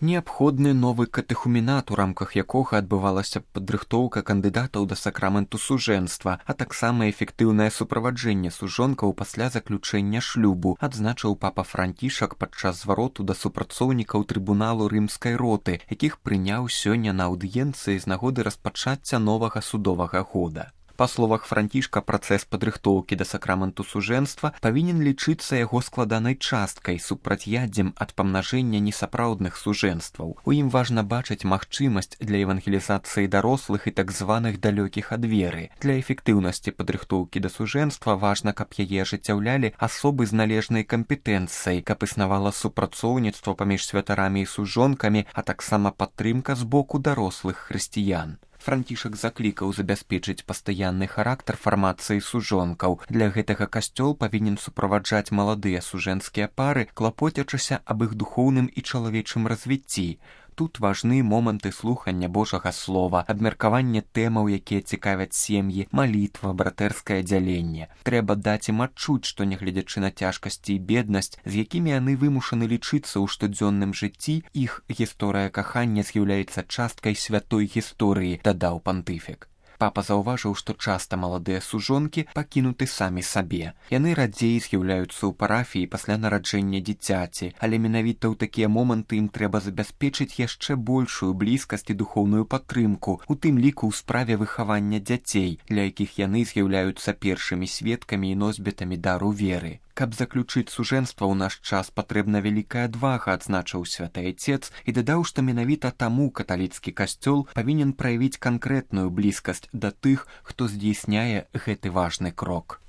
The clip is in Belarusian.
Неабходны новы катэхуменат, у рамках якога адбывалася падрыхтоўка кандыдатаў да сакраменту сужэнства, а таксама эфектыўнае суправаджэнне сужонкаў пасля заключэння шлюбу, адзначыў папа Францішак падчас звароту да супрацоўнікаў трыбуналу рымскай роты, якіх прыняў сёння на аўдыенцыі з нагоды распачацця новага судовага года. Па словах Францішка, працэс падрыхтоўкі да сакраменту сужэнства павінен лічыцца яго складанай часткай, супрацьяддзем ад памнажэння несапраўдных сужэнстваў. У ім важна бачыць магчымасць для евангелізацыі дарослых і так званых далёкіх ад веры. Для эфектыўнасці падрыхтоўкі да сужэнства важна, каб яе ажыццяўлялі асобы з належнай кампетэнцыяй, каб існавала супрацоўніцтва паміж святарамі і сужонкамі, а таксама падтрымка з боку дарослых хрысціян. Францішак заклікаў забяспечыць пастаянны характар фармацыі сужонкаў. Для гэтага касцёл павінен суправаджаць маладыя сужэнскія пары, клапоцячыся аб іх духоўным і чалавечым развіцці. Тут важны моманты слухання Божага слова, абмеркаванне тэмаў, якія цікавяць сем'і, малітва, братэрскае дзяленне. Трэба даць ім адчуць, што, нягледзячы на цяжкасці і беднасць, з якімі яны вымушаны лічыцца ў штодзённым жыцці, іх гісторыя кахання з'яўляецца часткай святой гісторыі, дадаў пантыфік. Папа заўважыў, што часта маладыя сужонкі пакінуты самі сабе. Яны радзей з'яўляюцца ў парафіі пасля нараджэння дзіцяці, але менавіта ў такія моманты ім трэба забяспечыць яшчэ большую блізкасць і духоўную падтрымку, у тым ліку ў справе выхавання дзяцей, для якіх яны з'яўляюцца першымі сведкамі і носьбітамі дару веры. Каб заключыць сужэнства ў наш час патрэбна вялікая адвага, адзначыў святы айцец і дадаў, што менавіта таму каталіцкі касцёл павінен праявіць канкрэтную блізкасць да тых, хто здзейсняе гэты важны крок.